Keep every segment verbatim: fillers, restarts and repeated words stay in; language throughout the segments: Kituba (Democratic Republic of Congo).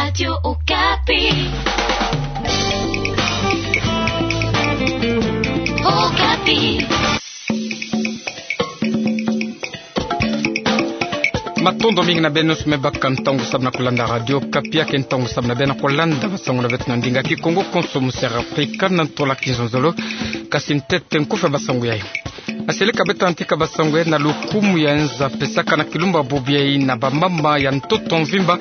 Radio Okapi. Okapi. Matondo mingi na beno nyonso me baka ntangu samu na kulanda Radio Okapi, ya ke ntangu samu na beno kulanda basangu na beto na ndinga Kikongo, konso mu Sera Afrika, na ntola kizonzolo. Kasi ntete nkufi ya basangu yayi. Aseleka beto antika basangu yayi na lukumu ya nza pesaka na kilumbu bubu yayi na bamama ya ntoto mvimba,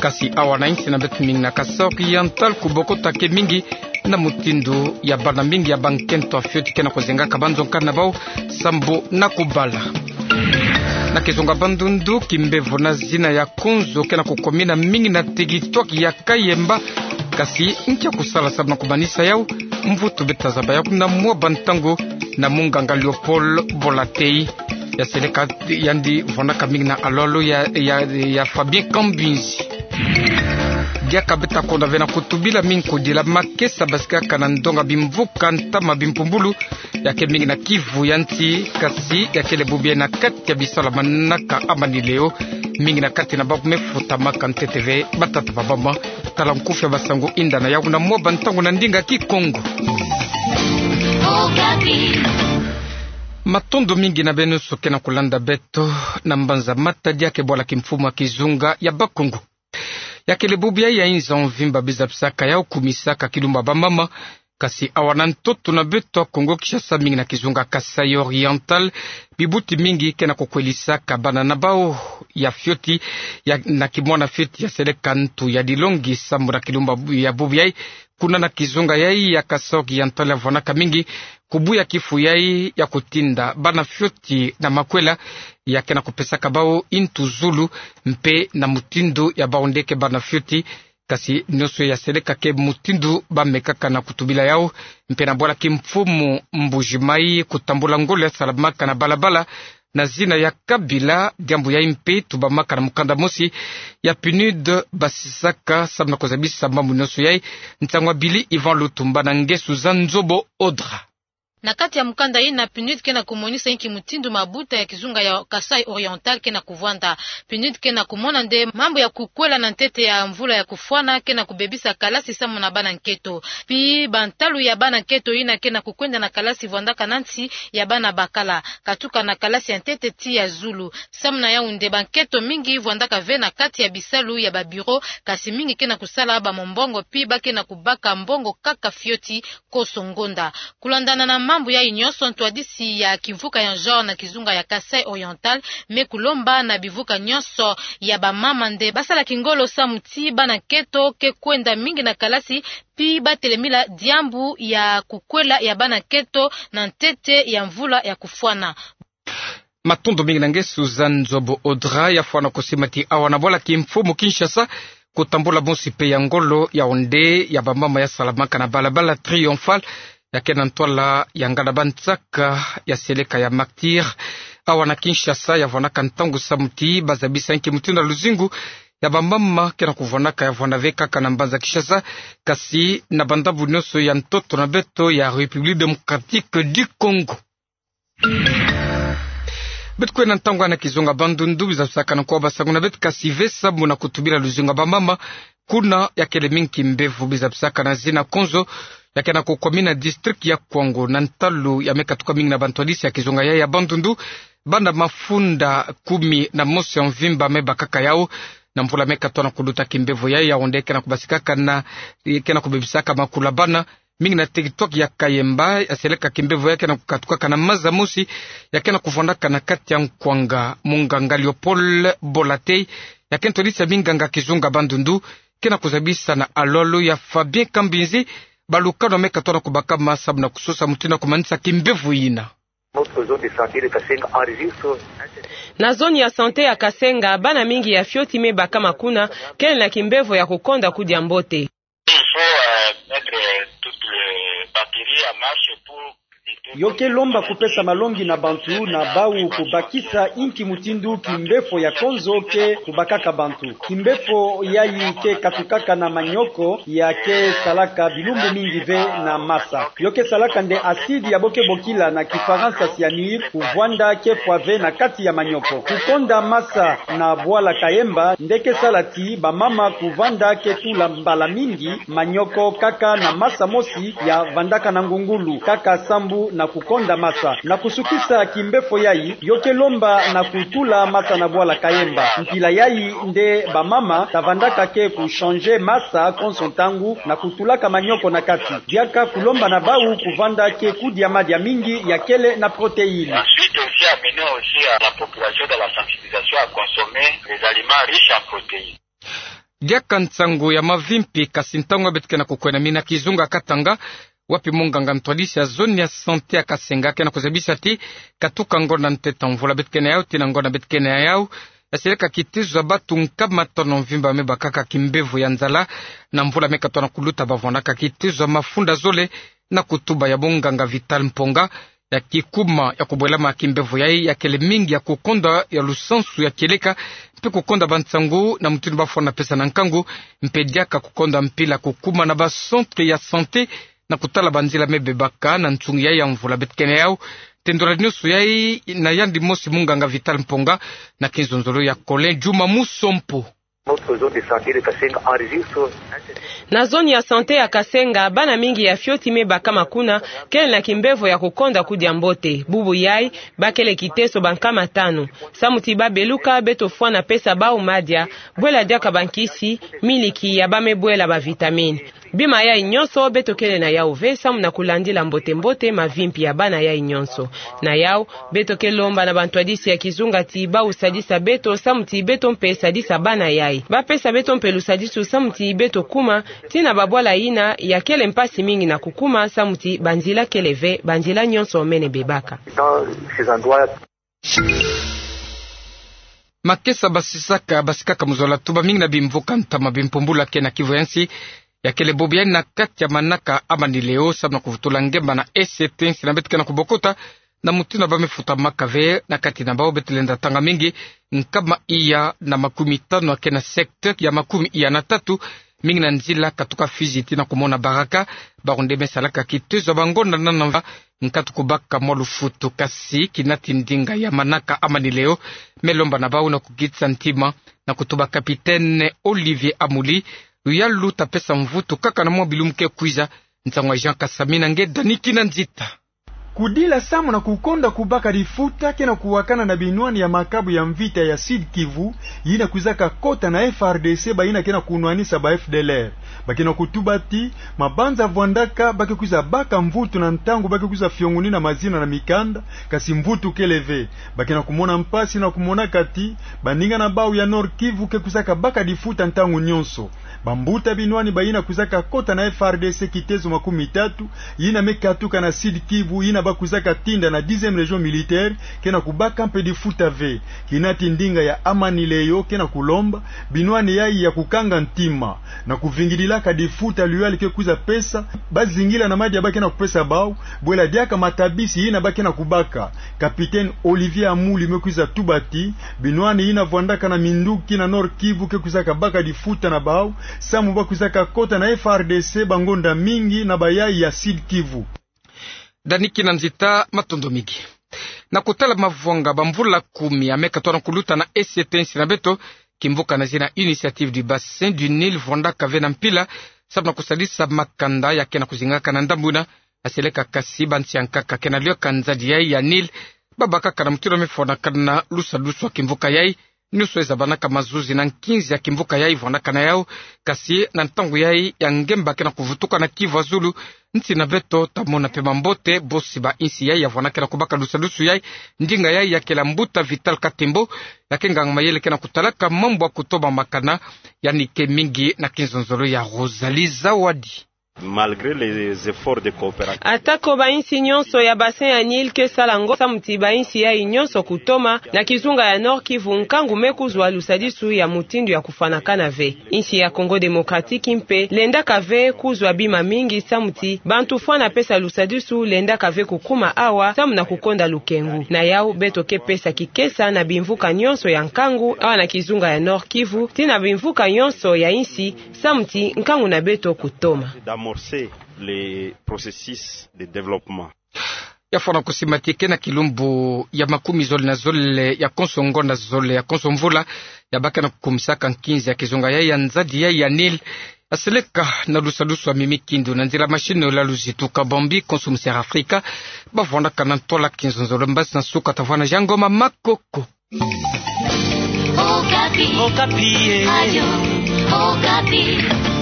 kasi awa na insi na beto mingi na Kasaï Oriental, kubokota ke mingi na mutindu ya bana mingi ya bankento ya fioti ke na kuzengaka banzonka na bau sambu na kubala. Na kizunga Bandundu, kimbevo na zina ya konzo ke na kukomina mingi na teritware ya Kayemba, kasi nkia kusala samu na kumanisa yau? Mvutu beta zaba yau na mwa bantangu na munganga Léopold Bolatei. Yaseleka yandi vwandaka mingi na alolo ya, ya, ya Fabien Kambinzi. Diaka beta konda ve na kutubila mingi kudila makesa basikaka na ndonga bimvuka ntama bimpumbulu, ya ke mingi na Kivu ya nti, kasi ya kele bubu yayi na kati ya bisalu ya manaka ya manileo, mingi na kati na bau me futamaka ntete ve batata ba mama. Tala nkufi ya basangu, yinda na yau na mwa bantangu na ndinga Kikongo. Matondo mingi na beno nyonso ke na kulanda beto na mbanza Matadi, ya ke bwala kimfumu ya kizunga ya Bakongo. Ya kele bubu yayi ya inza mvimba biza bisaka yau kumisaka kilumbu ya bamama, kasi awa na ntoto na beto ya Kongo Kinshasa, mingi na kizunga Kasaï Oriental, bibuti mingi ke na kukwelisaka bana na bau ya fioti, ya, na kimwana fioti yaseleka ntu ya dilongi sambu na kilumbu ya bubu yayi. Kuna na kizunga yayi ya Kasaï Oriental ya vwanaka mingi kubuya kifu yayi ya kutinda bana fioti na makwela, ya ke na kupesaka bau ntu zulu, mpe na mutindu ya bau nde ke bana fioti. Kasi nyonso yaseleka ke mutindu ba mekaka na kutubila yau. Mpe na bwala kimfumu Mbuji-Mayi, kutambula ngolo ya salamaka na balabala na zina ya Kabila, diambu yayi mpe tubamaka na mukanda mosi ya PNUD basisaka samu na kuzabisa mambu nyonso yayi. Nsangu ya Billy Yvan Lutumba na ngesu za Nzobo Audra. Na kati ya mukanda yina, PNUD ke na kumonisa inki mutindu mabuta ya kizunga ya Kasaï Oriental ke na kuvwanda. PNUD ke na kumona nde mambu ya kukwela na ntete ya mvula ya kufwana ke na kubebisa kalasi samu na bana nketo. Pi bantalu ya bana nketo yina ke na kukwenda na kalasi vwandaka na nsi ya bana bakala, katuka na kalasi ya ntete tii ya zulu. Samu na yau nde banketo mingi vwandaka ve na kati ya bisalu ya ba bureau, kasi mingi ke na kusala ba mombongo, pi ba ke na kubaka mbongo kaka fioti konso ngonda. Kulandana na mambu yayi nyonso, ntwadisi ya kimvuka ya genre na kizunga ya Kasaï Oriental me kulomba na bimvuka nyonso ya bamama nde basala kingolo samu ti bana nketo ke kwenda mingi na kalasi, pi ba telemila diambu ya kukwela ya bana nketo na ntete ya mvula ya kufwana. Matondo mingi na ngesu za Nzobo Audra. Ya fwana kusima ti awa na bwala kimfumu Kinshasa, kutambula mosi mpe ya ngolo yau nde ya bamama ya salamaka na balabala Triomphal, ya ke na ntwala ya nganda bansaka yaseleka ya Martyrs, awa na Kinshasa, ya vwanaka ntangu samu ti ba zabisa inki mutindu ya luzingu ya bamama ke na kuvwanaka, ya vwanda ve kaka na mbanza Kinshasa, kasi na bandambu nyonso ya ntoto na beto ya République Démocratique du Congo. Beto kwenda ntangu na kizunga Bandundu, biza bisaka na nkwa basangu na beto, kasi ve samu na kutubila luzingu ya bamama. Kuna ya kele mingi kimbevo biza bisaka na zina konzo, ya ke na kukomina district ya Kwango, na ntalu ya me katuka mingi na bantwadisi ya kizunga yayi ya Bandundu. Bana mafunda kumi na mosi ya mvimba me bakaka yau na mvula me katoa na kuluta. Kimbevo yayi yau nde ke na kubasikaka na, ke na kubebisaka makula bana mingi na territoire ya Kayemba. Yaseleka kimbevo yayi ke na kukatukaka na maza mosi, ya ke na kuvwandaka na kati ya nkwanga. Munganga Léopold Bolatei, ya ke ntwadisi ya minganga kizunga Bandundu, ke na kuzabisa na alolo ya Fabien Kambinzi balukanu me katoa na kubakama samu na kusosa mutindu ya kumanisa kimbevo yina. Notre zone de santé de Kasenga enregistre. Na zone ya santé ya Kasenga, bana mingi ya fioti me bakama kuna, kele na kimbevo ya kukonda kudia mbote. Il faut, euh, mettre toutes les batteries en marche pour Yo ke lomba kupesa malongi na bantu na bau kubakisa inki mutindu kimbefo ya konzo ke kubakaka bantu. Kimbefo yayi ke katukaka na manioko ya ke salaka bilumbu mingi ve na masa. Yo ke salaka nde acide ya bo ke bokila na Kifaransa cyanure, kuvwanda ke fwa ve na kati ya manioko. Kukonda masa na bwala kayemba nde ke sala ti bamama kuvanda ke tula mbala mingi manioko kaka na masa mosi ya vandaka na ngungulu, kaka sambu na kukonda masa. Na kusukisa kimbefo yayi, yo ke lomba na kutula masa na bwala kayemba. Mpila yayi nde bamama ta vandaka ke kuchanger masa konso ntangu na kutulaka manioko na kati. Diaka kulomba na bau kuvanda ke kudia madia mingi ya kele na protéine. Ensuite aussi amener aussi à la population dans la sensibilisation à consommer les aliments riches en protéines. Diaka nsangu ya mavimpi, kasi ntangu ya beto ke na kukwena, mina kizunga Katanga, wapi munganga ntwadisi ya zone ya santé ya Kasenga ke na kuzabisa ti katuka ngonda ntete mvula beto ke na yau tii na ngonda beto ke na yau, yaseleka kitezo ya batu nkama tanu mvimba me bakaka kimbevo ya nzala na mvula me katona kuluta. Bavwandaka kitezo ya mafunda zole na kutuba ya munganga Vital Mponga, ya kikuma ya kubwelama kimbevo yayi ya kele mingi ya kukonda ya lusansu ya kieleka, mpe kukonda bansangu na mutindu bafwana pesa na nkangu, mpe diaka kukonda mpila kukuma na ba centre ya santé na kutala banzila me bebaka na nsungu yayi ya mvula beto ke na yau. Tendula nyonso yayi na yandi mosi munganga Vital Mponga na kinzonzolo ya Colin Juma Musompo. Notre zone de santé de Kasenga enregistre. Na zone ya santé ya Kasenga, bana mingi ya fioti me bakama kuna kele na kimbevo ya kukonda kudia mbote. Bubu yayi, bakele kiteso bankama tanu. Samu ti babeluka, beto fwana pesa bau madia, bwela diaka bankisi, miliki ya ba me bwela ba vitamine. Bima yayi nyonso beto kele na yau ve samu na kulandila mbote-mbote mavimpi ya bana yayi nyonso. Na yau, beto ke lomba na bantwadisi ya kizunga ti bau sadisa beto samu ti beto mpe sadisa bana yayi. Bapesa beto mpe lusadisu samu ti beto kuma tii na babwala yina ya kele mpasi mingi na kukuma samu ti banzila kele ve, banzila nyonso mene bebaka. Dans ces endroits. Makesa basisaka, basikaka muzola tuba mingi na bimvuka ntama bimpumbula ke na Kivu ya nsi, ya kele bobo yayi na kati ya manaka Amani Leo, samu na kuvutula ngemba na esete nsi na beto ke na kubokota, na mutindu ba me futamaka ve na kati na bau. Beto lenda tanga mingi, nkama iya na makumi tanu ya ke na secteur ya makumi iya na tatu, mingi na nzila katuka Fizi tii na kumona Baraka, bawu nde me salaka kitezo ya bangonda na nava nkatu kubaka mwa lufutu. Kasi kinati ndinga ya manaka Amani Leo me lomba na bau na kukitisa ntima na kutuba Capitaine Olivier Amuli luyalu ta pesa mvutu kaka na mwa bilumbu ke kwiza. Nsangu ya Jean Kasami na nge Dani Kinanzita. Kudila samu na kukonda kubaka difuta ke na kuwakana na binwani ya makabu ya mvita ya Sud-Kivu, yina kwizaka kota na F R D C, bayina ke na kunwanisa ba F D L R. Ba ke na kutuba ti mabanza vwandaka ba ke kwiza baka mvutu na ntangu ba ke kwiza fiongunina mazina na mikanda, kasi mvutu kele ve. Ba ke na kumona mpasi na kumonaka ti baninga na bau ya Nord-Kivu ke kwizaka baka difuta ntangu nyonso. Bambuta binwani bayina kwizaka kota na F R D C kitezo makumi tatu, yina me katuka na Sud-Kivu, yina ba kwizaka tinda na dixième région militaire, ke na kubaka mpe difuta ve. Kinati ndinga ya Amani Leo ke na kulomba binwani yayi ya kukanga ntima na kuvingidilaka difuta luyalu ke kwiza pesa, bazingila na madia ba ke na kupesa bau, bwela diaka matabisi yina ba ke na kubaka. Capitaine Olivier Amuli me kwiza tuba ti binwani yina vwandaka na minduki na Nord-Kivu ke kwizaka baka difuta na bau, samu ba kwizaka kota na F R D C bangonda mingi na bayayi ya Sud-Kivu. Dani Kinanzita, matondo mingi. Na kutala mavwanga, bamvula kumi ya me katona kuluta na esete nsi na beto, kimvuka na zina Initiative du Bassin du Nil vwandaka ve na mpila, samu na kusadisa makanda ya ke na kuzingaka na ndambu yina, yaseleka kasi bansi ya nkaka ke na lioka nzadi yayi ya Nil, babakaka na mutindu me fwanakana lusadusu ya kimvuka yayi. Nyonso ezabanaka mazuzi na nkinzi ya kimvuka yayi vwandaka na yau, kasi na ntangu yayi ya ngemba ke na kuvutuka na Kivu ya zulu, nsi na beto ta mona mpe mambote, bosi ba insi yayi ya vwandaka na kubaka lusadusu yayi. Ndinga yayi ya kele mbuta Vital Katembo, ya ke nganga mayele ke na kutalaka mambu ya kutoba makanda, yandi ke mingi na kinzonzolo ya Rosalie Zawadi. Malgré les efforts de coopération. Atako bainsi nyonso ya bassin ya Nil ke sala ngo samu ti bainsi yayi nyonso kutoma, na kizunga ya Nord-Kivu nkangu me kuzwa lusadisu ya mutindu ya kufwanakana ve. Insi ya Congo Démocratique mpe lendaka ve kuzwa bima mingi samu ti bantu fwana pesa lusadisu lendaka ve kukuma awa samu na kukonda lukengu. Na yau beto ke pesa kikesa na bimvuka nyonso ya nkangu awa na kizunga ya Nord-Kivu, tii na bimvuka nyonso ya insi, samu ti nkangu na beto kutoma. D'amorcer le processus de développement. Ya fwana kusimatike na kilumbu ya makumi zole na zole ya konso ngonda zole ya konso mvula, ya baka na kukumisaka nkinzi ya kizunga yayi ya nzadi yayi ya Nil, ya seleka na lusadisu ya mimi kindu na nzila machine la luzitu ka bambi konso musi ya Afrika, bavwandaka na ntwala kinzonzolo. Mbasi na nsuka tavwanda Jean Ngoma Makoko. Okapi. Okapi, eh. Radio Okapi.